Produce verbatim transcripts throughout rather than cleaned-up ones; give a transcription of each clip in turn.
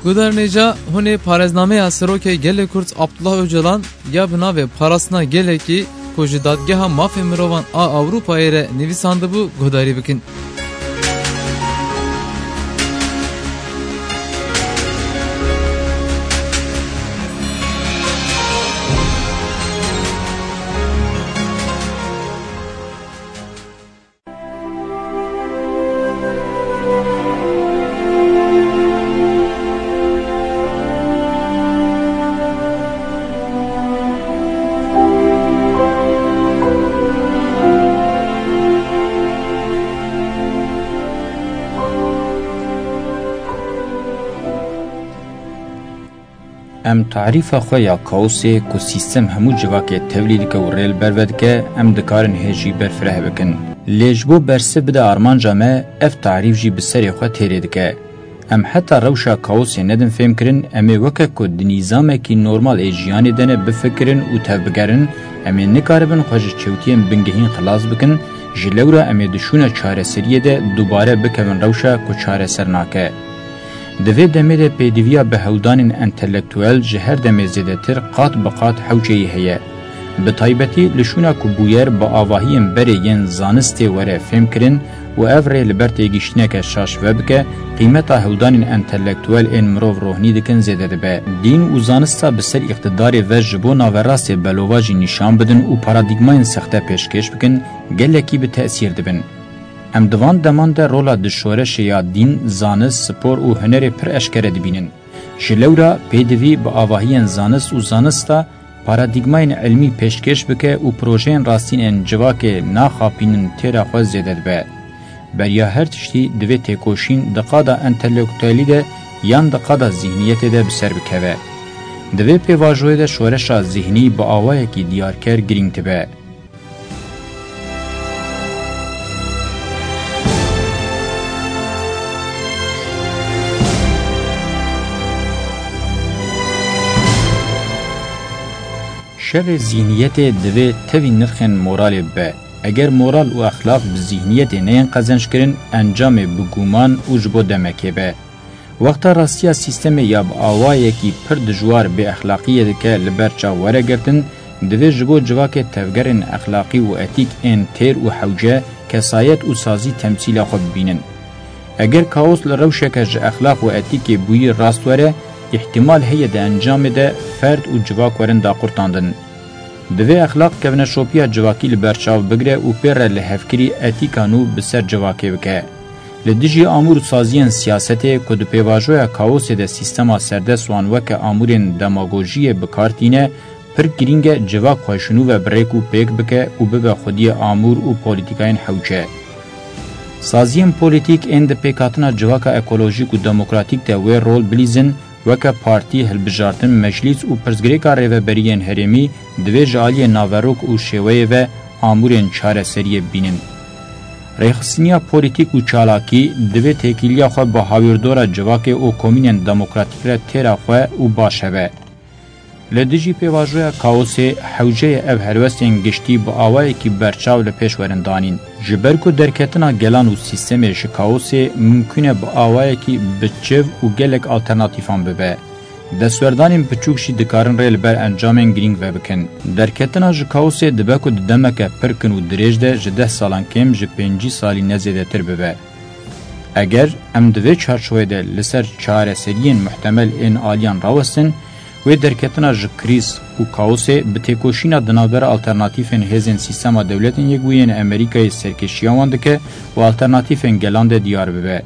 Guhdarên hêja, hûn ê parêznameya Serokê Gelê Kurd Abdullah Ocalan ya bi navê Parastina Gelekî ku ji Dadgeha Mafê Mirovan a Ewropayê re nivîsandibû guhdarî bikin. Em tarîfa xwe ya kaosê ku sîstem hemû civakê tevlî dike û rê li ber ve dike, em dikarin hê jî berfireh bikin. Lê ji bo bersiv bide armanca me, ev tarîf jî bi serê xwe têrê dike. Em heta rewşa kaosê nedin fêmkirin, em ê weke ku di nîzamekî normal ê jiyanê de ne bifikirin û tevbigerin, em ê nikaribin xwe ji çewtiyên bingehîn xilas bikin, ji lewra em ê di şûna çareseriyê de dubare bikevin rewşa ku çareser nake. Di vê demê de pêdiviya bi hewldanên entelektuel ji her demê zêdetir qat bi qat hewceyî heye. Bi taybetî li şûna ku bûyer bi avahiyên berê yên zanistê were fêmkirin û ev rê li ber têgihiştineke şaş vebike, qîmeta hewldanên entelektuel ên mirov rohnî dikin zêde dibe. Dîn û zanista bi ser îqtidarê ve ji bo naverastê belovajî nîşan bidin û paradîgmayên sexte pêşkêş bikin, gelekî bi tesîr dibin. Em di van deman de rola di şoreşê ya dîn, zanist, spor û hunerê pir eşkere dibînin. Ji lewra pêdivî bi avahiyên zanist û zanista paradîgmayên ilmî pêşkêş bike û projeyên rastîn ên civakê naxapînin têra xwe zêde dibe. Beriya her tiştî divê têkoşîn di qada entelektuelî de yan di qada zîhniyetê de bi ser bikeve. Di vê pêvajoyê de şoreşa zîhnî bi awayekî diyarker girîng dibe. Şerê zîhniyetê divê tevî nirxên moralê bibe. Eger moral û exlaq bi zîhniyetê neyên qezenckirin, encamê bi guman û ji bo demekê be. Wexta rastiya sîstemê ya bi awayekî pir dijwar bêexlaqiyê dike li ber çav were girtin, divê ji bo civakê tevgerên exlaqî û etîk ên têr û hewce, kesayet û sazî temsîla xwe bibînin. Eger kaos li rewşeke ji exlaq û etîkê bûyî rast were, îhtimal heye di encamê de ferd û civak werin daqurtandin. Divê exlaq kevneşopiya civakî li ber çav bigire û pê re lihevkirî etîka nû bi ser civakê bike. Li dijî amûr û saziyên siyasetê ku di pêvajoya kaosê de sîstema serdest wan weke amûrên demagojiyê bi kar tîne, pir girîng e civak xwe ji nû ve bi rêk û pêk bike û bibe xwediyê amûr û polîtîkayên hewce. Saziyên polîtîk ên di pêkhatina civaka ekolojîk û demokratîk de wê rol bilîzin, weke partî, hilbijartin, meclîs û pirsgirêka rêveberiyên herêmî divê ji aliyê naverok û şêweyê ve amûrên çareseriyê bibînin. Rêxistiniya polîtîk û çalakî divê têkiliya xwe bi hawîrdora civakê û komînên demokratîk re têra xwe û baş hebe. Li dijî pêvajoya kaosê, hewceyê ev helwestên giştî bi awayekî berçav li pêş werin danîn. Ji ber ku derketina gelan û sîstemê ji kaosê mimkûn e bi awayekî bi çiv û gelek alternatîfan bibe. Destwerdanên biçûk jî dikarin rê li ber encamên girîng vebikin. Derketina ji kaosê dibe ku di demeke pir kin û dirêj de ji deh salan kêm ji pêncî salî ne zêdetir bibe. Eger em di vê çarçovê de li ser çareseriyên muhtemel ên aliyan rawestin, wê derketina ji krîz û kaosê bi têkoşîna di navbera alternatîfên hêzên sîstema dewletên yekbûyî yên Amerîkayê serkêşiya wan dike û alternatîfên gelan de diyar bibe.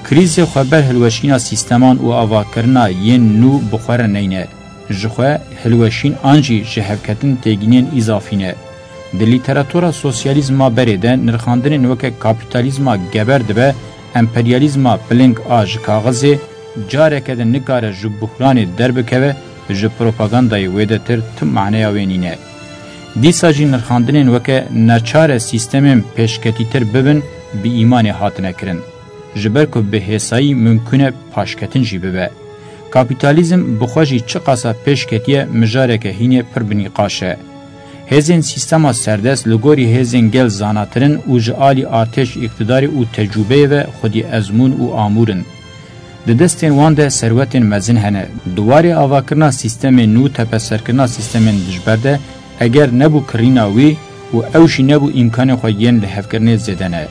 Krîzê xweber hilweşîna sîsteman û avakirina yên nû bi xwe re neyne. Ji xwe hilweşîn an jî ji hevketin têgînên îzafî ne. Di lîteratura sosyalîzma berê de nirxandinên weke kapîtalîzma geber dibe, emperyalîzma piling a ji kaxizê, careke din nikare ji buhranê derbikeve, ji propagandayê wêdetir tu maneya wê nîne. Dîsa jî nirxandinên weke neçar e sîstemên pêşketîtir bibin, bi îmanê hatine kirin. Ji ber ku bi hêsayî mimkûn e paşketin jî bibe. Kapîtalîzm bi xwe jî çiqasa pêş ketiye, mijareke hînê pir bi nîqaş e. Hêzên sîstema serdest li gorî hêzên gel zanatir in û ji alî artêş, îqtidarê û tecrûbeyê ve xwedî ezmûn û amûr in. Di destên wan de serwetên mezin hene. Di warê avakirina sîstemên nû, tepeserkirina sîstemên dijber de, eger nebû kirîna wî û ew jî nebû îmkanê xwe yên lihevkirinê zêde ne.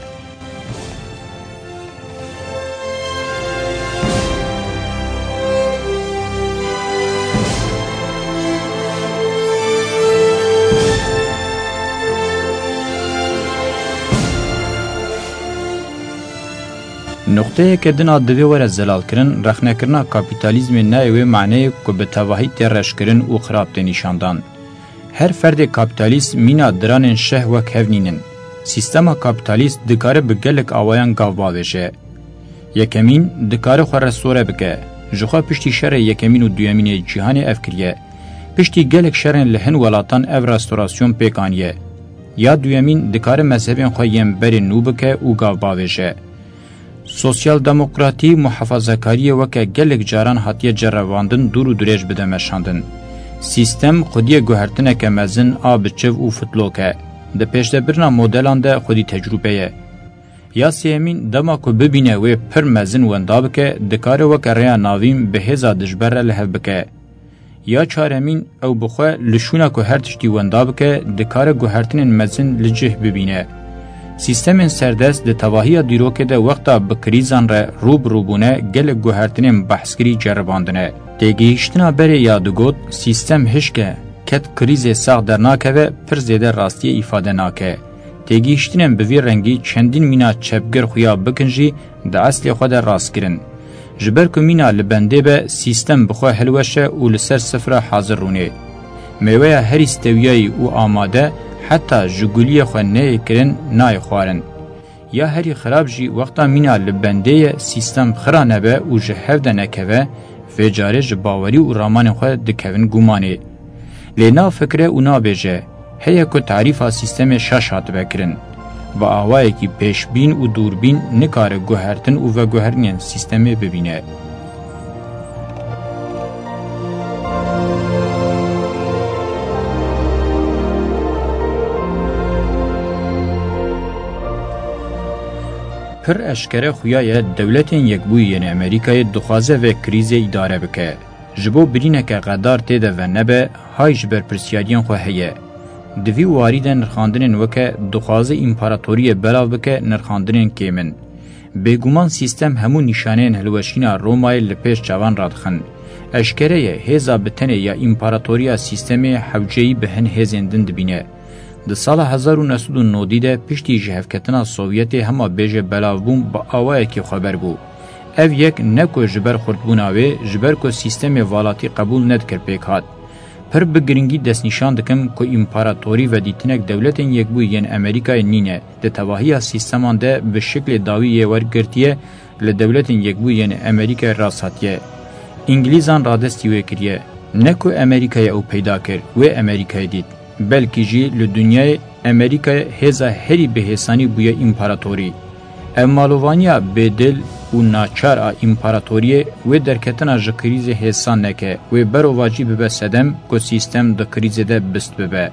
Nuqteyeke din a divê were zelalkirin, rexnekirina kapîtalîzmê nayê wê maneyê ku bi tevahî tê reşkirin û xirab tê nîşandan. Her ferdê kapîtalîst mîna diranên şeh wek hev nînin. Sîstema kapîtalîst dikare bi gelek awayan gav bavêje. Yekemîn, dikare xwe restore bike. Jixwe piştî şerê yekemîn û duyemîn ê cîhanê ev kiriye. Piştî gelek şerên li hin welatan ev restorasyon pêk aniye. Ya duyemîn, dikare mezhebên xwe yên berê nû bike û gav bavêje. Sosyaldemokratî, muhafazakariyê weke gelek caran hatiye ceribandin dûr û dirêj bide meşandin. Sîstem xwediyê guhertineke mezin a bi çiv û fitlok e. Di pêşdebirina modelan de xwedî tecrûbe ye. Ya sêyemîn, dema ku bibîne wê pir mezin wenda bike, dikare weke rêya navîn bi hêza dijber re li hev bike. Ya çaremîn, ew bi xwe li şûna ku her tiştî wenda bike, dikare guhertinên mezin li cih bibîne. Sîstemên serdest di tevahiya dîrokê de wexta bi krîzan re rû bi rû bûne, gelek guhertinên behskirî ceribandine. Têgihîştina berê ya digot, sîstem hişk e, ket krîzê sax dernakeve, pir zêde rastiyê îfade nake. Têgihiştinên bi vî rengî çendîn mîna çepgir xuya bikin jî di eslê xwe de rast kirin. Ji ber ku mîna li bendê be, sîstem bi xwe hilweşe û li ser sifra hazir rûnê. Mêweya herî stewiyayî û amade, heta ji guliyê xwe neyê kirin, nayê xwarin. Ya herî xirab jî, wexta mîna li bendê ye, sîstem xira nebe û ji hev de nekeve, vê carê ji bawerî û ramanên xwe dikevin gumanê. Lê nafikire û nabêje, heye ku tarîfa sîstemê şaş hatibe kirin. Bi awayekî pêşbîn û dûrbîn nikare guhertin û veguherinên sîstemê bibîne. Pir eşkere xuya ye Dewletên Yekbûyî yên Amerîkayê dixwaze vê krîzê îdare bike. Ji bo birîneke xedar tê de venebe, hay ji berpirsiyariyên xwe heye. Di vî warî de nirxandinên weke dixwaze împaratoriyê belav bike nirxandinên kêm in. Bêguman sîstem hemû nîşaneyên hilweşîna Romayê li pêş çavan radixin. Eşkere ye, hêza bi tenê ya împaratoriya sîstemê hewceyî bi hin hêzên din dibîne. Di sala hezar û neh sed û nodî de piştî ji hevketina Sovyetê hema bêje belavbûn bi awayekî xweber bû. Ev yek ne ku ji ber xurtbûna wê, ji ber ku sîstemê valatî qebûl nedikir pêk hat. Pir bi giringî destnîşan dikim ku împaratorî ve dîtinek Dewletên Yekbûyî yên Amerîkayê nîne, di tevahiya sîsteman de bi şiklê dawî yê wergirtiye, li Dewletên Yekbûyî yên Amerîkayê rast hatiye. Îngilîzan radestî wê kiriye. Ne ku Amerîkayê ew peyda kir, wê Amerîkayê dît. Belkî jî li dinyayê Amerîkayê hêza herî bihêsanî bûye împaratorî. Ev malovaniya bêdil û naçar a împaratoriyê wê derketina ji krîzê hêsan neke, wê berovajî bibe sedem ku sîstem di krîzê de bist bibe.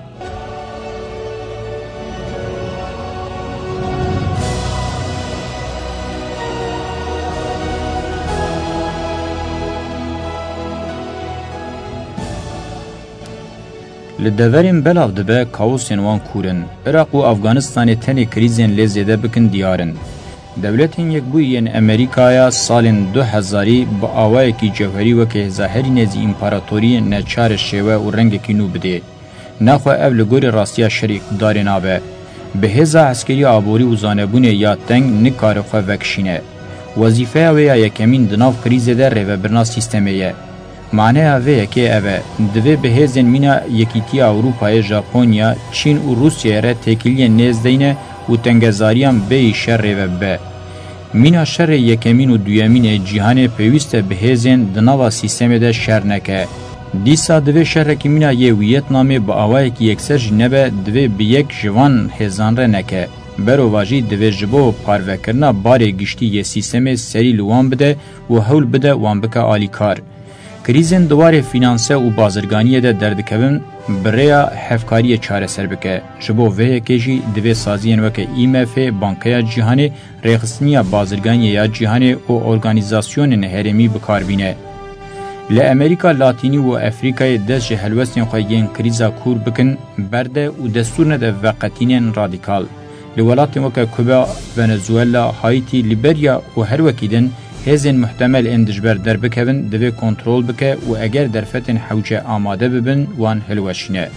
Li deverên belav dibe, kaosên wan kûr in. Iraq û Afganistanê tenê krîzên lê zêde bikin diyar in. Dewletên Yekbûyî yên Amerîkaya salên du hezarî bi awayekî cewherî weke hêza herî nêzî împaratoriyê neçar e şêwe û rengekî nû bidê. Naxwe ev li gorî rastiya şerê îqtidarê nabe. Bi hêza eskerî, aborî û zanebûnê ya teng nikare xwe vekişîne. Wezîfeya wê ya yekemîn di nav krîzê de rêvebirina sîstemê ye. Maneya vê yekê ev e, divê bi hêzên mîna Yekîtiya Ewropayê, Japonya, Çîn û Rûsyayê re têkiliyên nêz deyne û tengezariyan bêyî şer rêve bibe. Mîna şerê yekemîn û duyemîn ê cîhanê pêwîst e bi hêzên di nava sîstemê de şer neke. Dîsa divê şerekî mîna yê Wîyetnamê bi awayekî yekser jî nebe, divê bi yek ji van hêzan re neke. Berovajî divê ji bo parvekirina barê giştî yê sîstemê serî li wan bide û hewl bide wan bike alîkar. Krîzên di warê fînanse û bazirganiyê de derdikevin, bi rêya hevkariyê çareser bike. Ji bo vê yekê jî divê saziyên weke I M F, Bankeya Cîhanê, Rêxistiniya Bazirganiyê ya Cîhanê û organîzasyonên herêmî bi kar bîne. Li Amerîka Latînî û Efrîkayê dest ji helwestên xwe yên krîza kûr bikin, berde û destûr nede veqetînên radîkal. Li welatên weke Kuba, Venezuela, Haîtî, Lîberya û her wekî din hêzên muhtemel ên dijber derbikevin divê kontrol bike û eger derfetên hewce amade bibin, wan hilweşîne.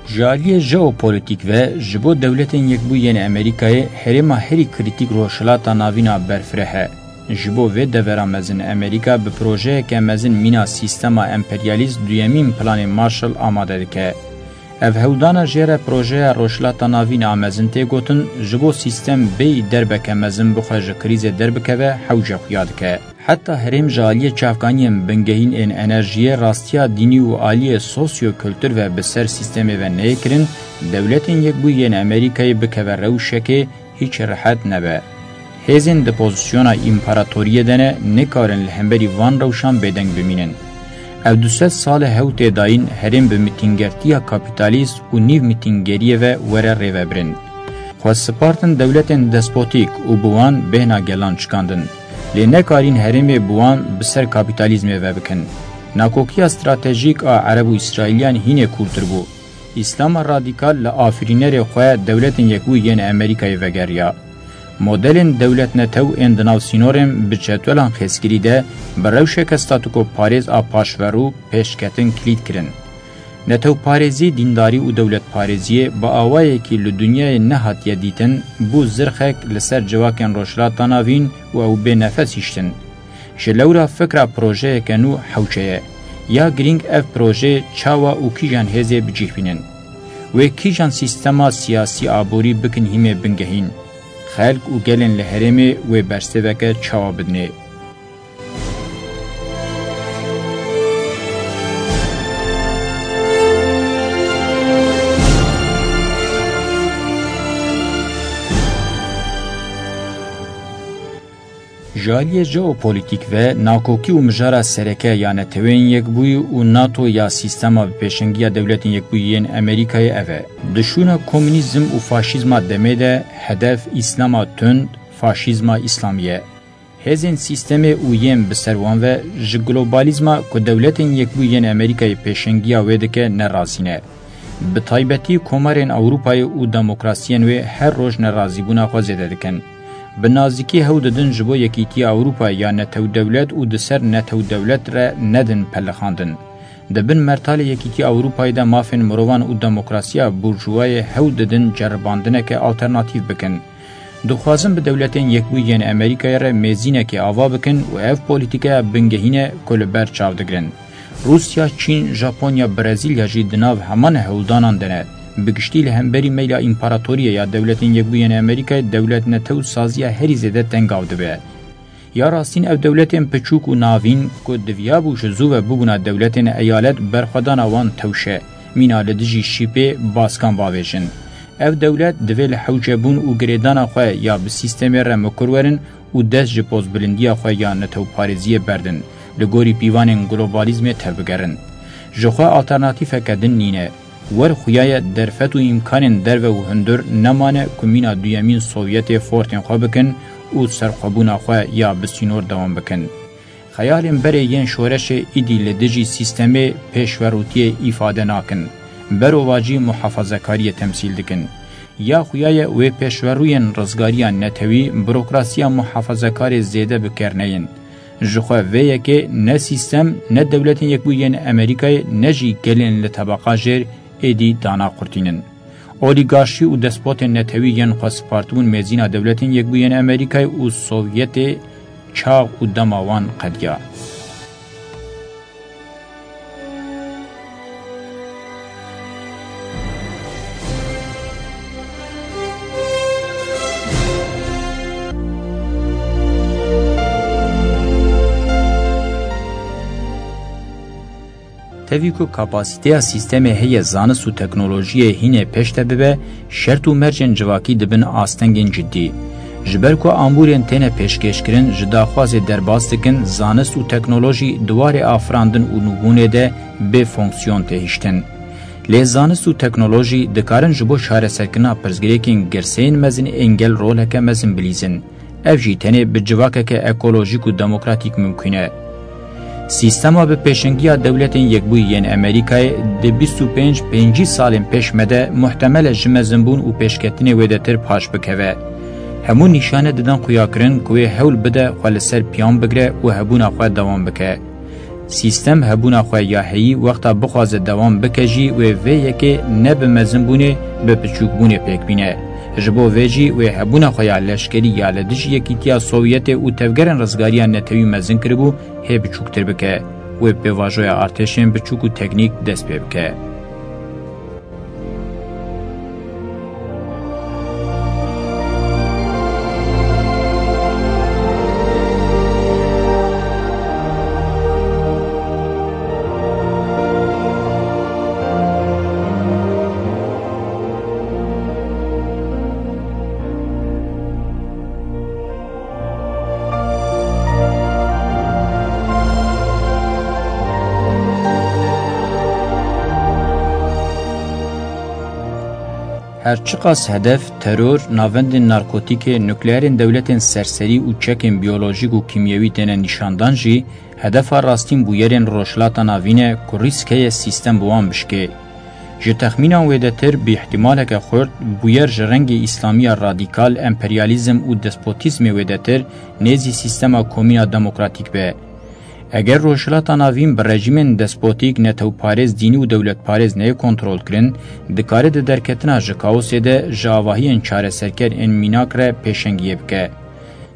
Ji aliyê jeopolîtîk ve, ji bo Dewletên Yekbûyî yên Amerîkayê herêma herî krîtîk Rojhilata Navîn a berfireh e. Ji bo vê devera mezin Amerîka bi projeyeke mezin mîna sîstema emperyalîst duyemîn planê Marshall amade dike. Ev hewldana jê re projeya Rojhilata Navîn a mezin tê gotin, ji bo sîstem bêyî derbeke mezin bixwe ji krîzê derbikeve, hewce xuya dike. Heta herêm ji aliyê çavkaniyên bingehîn ên enerjiyê, rastiya dînî û aliyê sosyo-kultur ve bi ser sîstemê ve neyê kirin, Dewletên Yekbûyî yên Amerîkayê bikeve rewşekê hîç rehet nebe. Hêzên di pozisyona împaratoriyê de ne, nikarin li hemberî van rewşan bêdeng bimînin. Ev du sed sal e hew tê dayîn herêm bi mitîngertiya kapîtalîst û nîv mitîngeriyê ve were rêvebirin. Xwe sipartin dewletên despotîk û bi wan bêhna gelan çikandin. Lê nekarîn herêmê bi wan bi ser kapîtalîzmê ve bikin. Nakokiya stratejîk a Ereb û Îsraîliyan hînê kûrtir bû. Îslama radîkal li afirînerê xwe Dewletên Yekbûyî yên Amerîkayê vegeriya. Modelên dewlet netew ên di nav sînorên bi cedwelan xêzkirî de bi rewşeke statûkoparêz a paşverû pêşketin kilît kirin. Netewparêzî, dîndarî û dewletparêziyê bi awayekî li dinyayê nehatiye dîtin, bû zirxek li ser civakên Rojhilata Navîn û ew bê nefes hiştin. Ji lewra fikra projeyeke nû hewce ye. Ya girîng ev proje çawa û kîjan hêzê bi cih bînin? Wê kîjan sîstema siyasî aborî bikin hîmê bingehîn? Xelk û gelên li herêmê wê bersiveke çawa bidinê? Ji aliyê jeopolîtîk ve, nakokî û mijara sereke ya Neteweyên Yekbûyî û nato ya sîstema bi pêşengiya Dewletên Yekbûyî yên Amerîkayê ev e. Di şûna komûnîzm û faşîzma demê de hedef îslama tund, faşîzma îslamî ye. Hêzên sîstemê û yên bi ser wan ve ji globalîzma ku Dewletên Yekbûyî yên Amerîkayê pêşengiya wê dike ne razî ne. Bi taybetî komarên Ewropayê û demokrasiyên wê her roj nerazîbûna xwe zêde dikin. Bi nazîkî hewl didin ji bo Yekîtiya Ewropayê ya netew dewlet û di ser netew dewlet re nedin pelixandin. Di bin mertalê Yekîtiya Ewropayê de mafên mirovan û demokrasiya burjûwayê hewl didin ceribandineke alternatîf bikin. Dixwazin bi Dewletên Yekbûyî yên Amerîkayê re mêzînekê ava bikin û ev polîtîkeya bingehîn e ku li ber çav digirin. Rûsya, Çîn, Japonya, Brezîlya jî di nav heman hewldanan de ne. Bi giştî li hemberî meyla împaratoriyê ya Dewletên Yekbûyî yên Amerîkayê dewlet netew saziya herî zêde tengav dibe. Ya rastîn ev dewletên piçûk û navîn ku diviyabû ji zû ve bibûna dewletên eyalet berxwedana wan tewş e, mîna li dijî şîpê baskan bavêjin. Ev dewlet divê li hewcebûn û girêdana xwe ya bi sîstemê re mikur werin û dest ji pozbilindiya xwe ya netewparêziyê berdin, li gorî pîvanên globalîzmê tevbigerin. Ji xwe alternatîfeke din nîne. Wer xuyaye derfet û îmkanên derve û hundir nemane ku mîna duyemîn Sovyetê fortên xwe bikin û serxwebûna xwe ya bi sînor dewam bikin. Xeyalên berê yên şoreşê îdî li dijî sîstemê pêşverûtiyê îfade nakin. Berovajî muhafezekariyê temsîl dikin. Ya xuyaye wê pêşverûyên rizgariya netewî, burokrasiya muhafezekarê zêde bi ker neyên. Ji xwe vê yekê ne sîstem, ne Dewletên Yekbûyî yên Amerîkayê, ne jî gelên li tebeqa jêr êdî dana qurtînin. Olîgarşî û despotên netewî yên xwe sipartibûn mêzîna Dewletên Yekbûyî yên Amerîkayê û Sovyetê, çax û dema wan qediya. Tevî ku kapasîteya sîstemê heye zanist û teknolojiyê hînê pêş de bibe, şert û mercên civakî dibin astengên cidî. Ji ber ku amûrên têne pêşkêşkirin ji daxwazê derbas dikin, zanist û teknolojî di warê afirandin û nûbûnê de bê fonksiyon tê hiştin. Lê zanist û teknolojî dikarin ji bo çareserkirina pirsgirêkên girseyên mezin ên gel roleke mezin bilîzin. Ev jî tenê bi civakeke ekolojîk û demokratîk mimkûn e. Sîstema bi pêşengiya dewletên Yekbûyî yên Amerîkayê di bîst û pênc pêncî salên pêş me de muhtemel e ji mezinbûn û pêşketinê wêdetir paş bikeve. Hemû nîşane didin xuyakirin ku wê hewl bide xwe li ser piyan bigire û hebûna xwe dewam bike. Sîstem hebûna xwe ya heyî wexta bixwaze dewam bike jî wê vê yekê ne bi mezinbûnê, bi biçûkbûnê pêk bîne. Ji bo vê jî wê hebûna xwe ya leşkerî ya li dijî Yekîtiya Sovyetê û tevgerên rizgariya netewî mezin kiribû hê biçûktir bike. Wê pêvajoya artêşên biçûk û teknîk dest pê bike. Her çiqas hedef, teror, navendên narkotîkê, nukleerên dewletên serserî û çekên biyolojîk û kîmyewî têne nîşandan jî, hedefa rastîn bûyerên Rojhilata Navîn e ku rîsk heye sîstem bi wan bişkê. Ji texmînan wêdetir, bi îhtimaleke xurt, bûyer ji rengê îslamiya radîkal, emperyalîzm û despotîzmê wêdetir nêzî sîstema komîna demokratîk be. Eger Rojhilata Navîn bi rejîmên despotîk, netewparêz, dînî û dewletparêz neyê kontrolkirin, dikare di derketina ji kaosê de ji avahiyên çareserker ên mînak re pêşengiyê bike.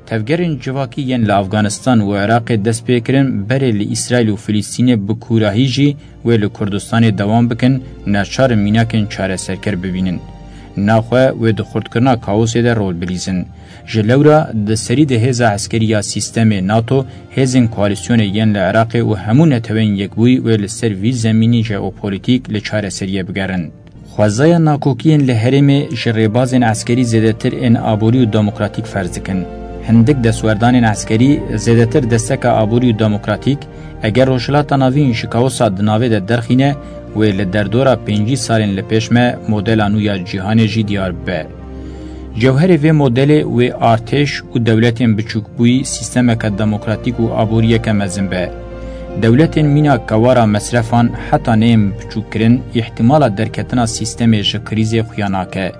Tevgerên civakî yên li Afganistan û Iraqê dest pê kirin, berê li Îsraîl û Filistînê bi kûrahî jî wê li Kurdistanê dewam bikin, neçar in mînakên çareserker bibînin. Naxwe wê di xurtkirina kaosê de rol bilîzin. Ji lewra di serî de hêza eskerî ya sîstemê NATO, hêzên koalîsyonê yên li Iraqê û hemû Neteweyên Yekbûyî wê li ser vî zemînî jeopolîtîk li çareseriyê bigerin. Xwezaya nakokiyên li herêmê ji rêbazên eskerî zêdetir ên aborî û demokratîk ferz dikin. Hindik destwerdanên eskerî zêdetir desteka aborî û demokratîk, eger Rojhilata Navîn ji kaosa di navê de derxîne, wê li derdora pêncî salên li pêş me modela nû ya cîhanê jî diyar bibe. Cewherê vê modelê wê artêş û dewletên biçûkbûyî sîstemeke demokratîk û aboriyeke mezin be. Dewletên mîna kewara mesrefan heta neyên biçûkkirin, îhtimala derketina sîstemê ji krîzê xuya nake.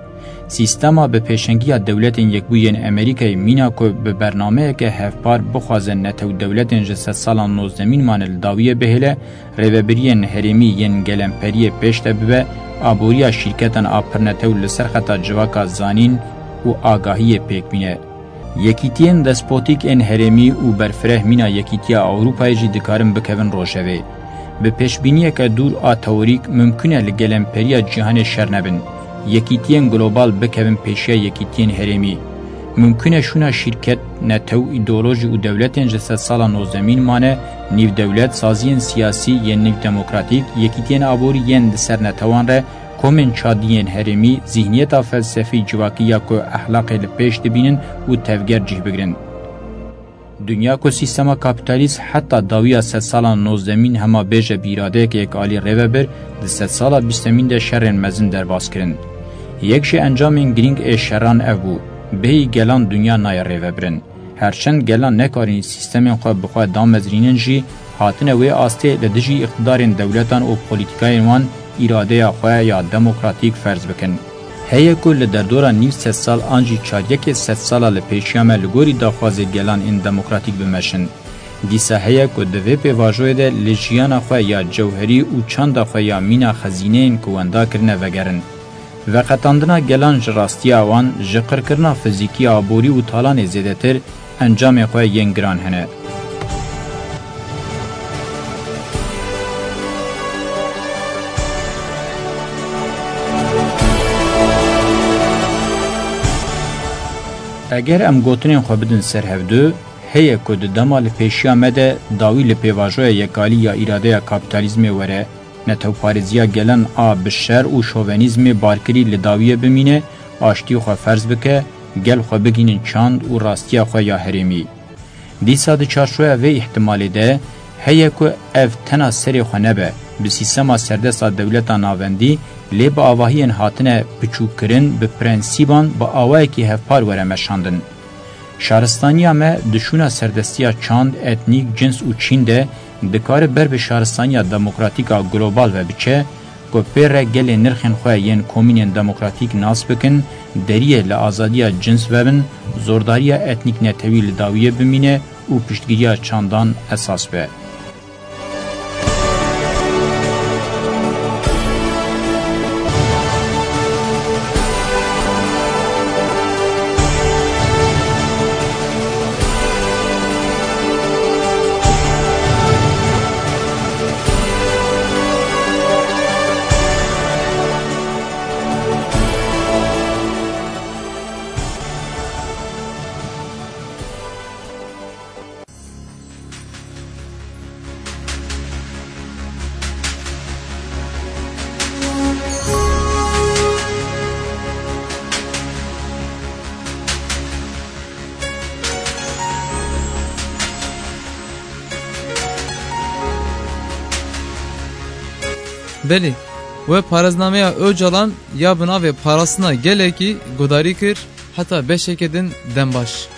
Sîstema bi pêşengiya Dewletên Yekbûyî yên Amerîkayê mîna ku bi bernameyeke hevpar bixwaze netew dewletên ji sedsalan nozdemîn mane li dawiyê bihêle, rêvebiriyên herêmî yên gelemperiyê pêş de bibe, aboriya şîrketan a pirnetew li ser xeta civaka zanîn û agahiyê pêk bîne. Yekîtiyên despotîk ên herêmî û berfireh mîna Yekîtiya Ewropayê jî dikarin bikevin rojevê. Bi pêşbîniyeke dûr a teorîk mimkun e li gelemperiya cîhanê şer nebin. Yekîtiyên global bikevin pêşiya yekîtiyên herêmî. Mimkun e şûna şîrket, netew, îdeolojî û dewletên ji sedsala nozdemîn mane, nîvdewlet, saziyên siyasî yên nîvdemokratîk, yekîtiyên aborî yên di ser netewan re, komên çadiyên herêmî, zîhniyeta felsefî civakî ya ku ehlaqê li pêş dibînin û tevger cih bigrin. Dinya ku sîstema kapîtalîst heta dawiya sedsala nozdemîn hema bêje bi îradeyeke yekalî rêvebir, di sedsala bîstemîn de şerên mezin derbas kirin. Yek ji encamên girîng ê şeran ev bû, bêyî gelan dinya nayê rêvebirin. Herçend gelan nekarîn sîstemên xwe bi xwe damezrînin jî, hatine wê astê li dijî îqtidarên dewletan û polîtîkayên wan îradeya xwe ya demokratîk ferz bikin. Heye ku li derdora nîv sedsal an jî çaryekê sedsala li pêşiya me li gorî daxwazê gelan ên demokratîk bimeşin. Dîsa heye ku di vê pêvajoyê de li jiyana xwe ya cewherî û çanda xwe ya mîna xezîneyên ku wenda kirine vegerin. Veqetandina gelan ji rastiya wan, ji qirkirina fizîkî, aborî û talanê zêdetir, encamê xwe yên giran hene. Eger em gotinên xwe bidin ser hevdu, heye ku di dema li pêşiya me de dawî li pêvajoya yekalî ya îradeya kapîtalîzmê were, Netewparêziya gelan a bi şer û şovenîzmê barkirî li dawiyê bimîne, aştiyê xwe ferz bike, gel xwe bigihînin çand û rastiya xwe ya herêmî. Dîsa di çarçoya vê îhtimalê de heye ku ev tena serê xwe nebe, bi sîstema serdest a dewleta navendî, lê bi avahiyên hatine piçûkkirin, bi prensîban bi awayekî hevpar were meşandin. Şaristaniya me di şûna serdestiya çand, etnîk, cins û çîn de dikare ber bi şaristaniya demokratîk a global ve biçe, ku pê re gelê nirxên xwe yên komînên demokratîk nas bikin, deriyê li azadiya cins vebin, zordariya etnîk netewî li dawiyê bimîne û piştgiriya çandan esas be. Belê, we parêznameya Ocalan ya bi navê Parastina Gelekî guhdarî kir, heta beşeke din dem baş.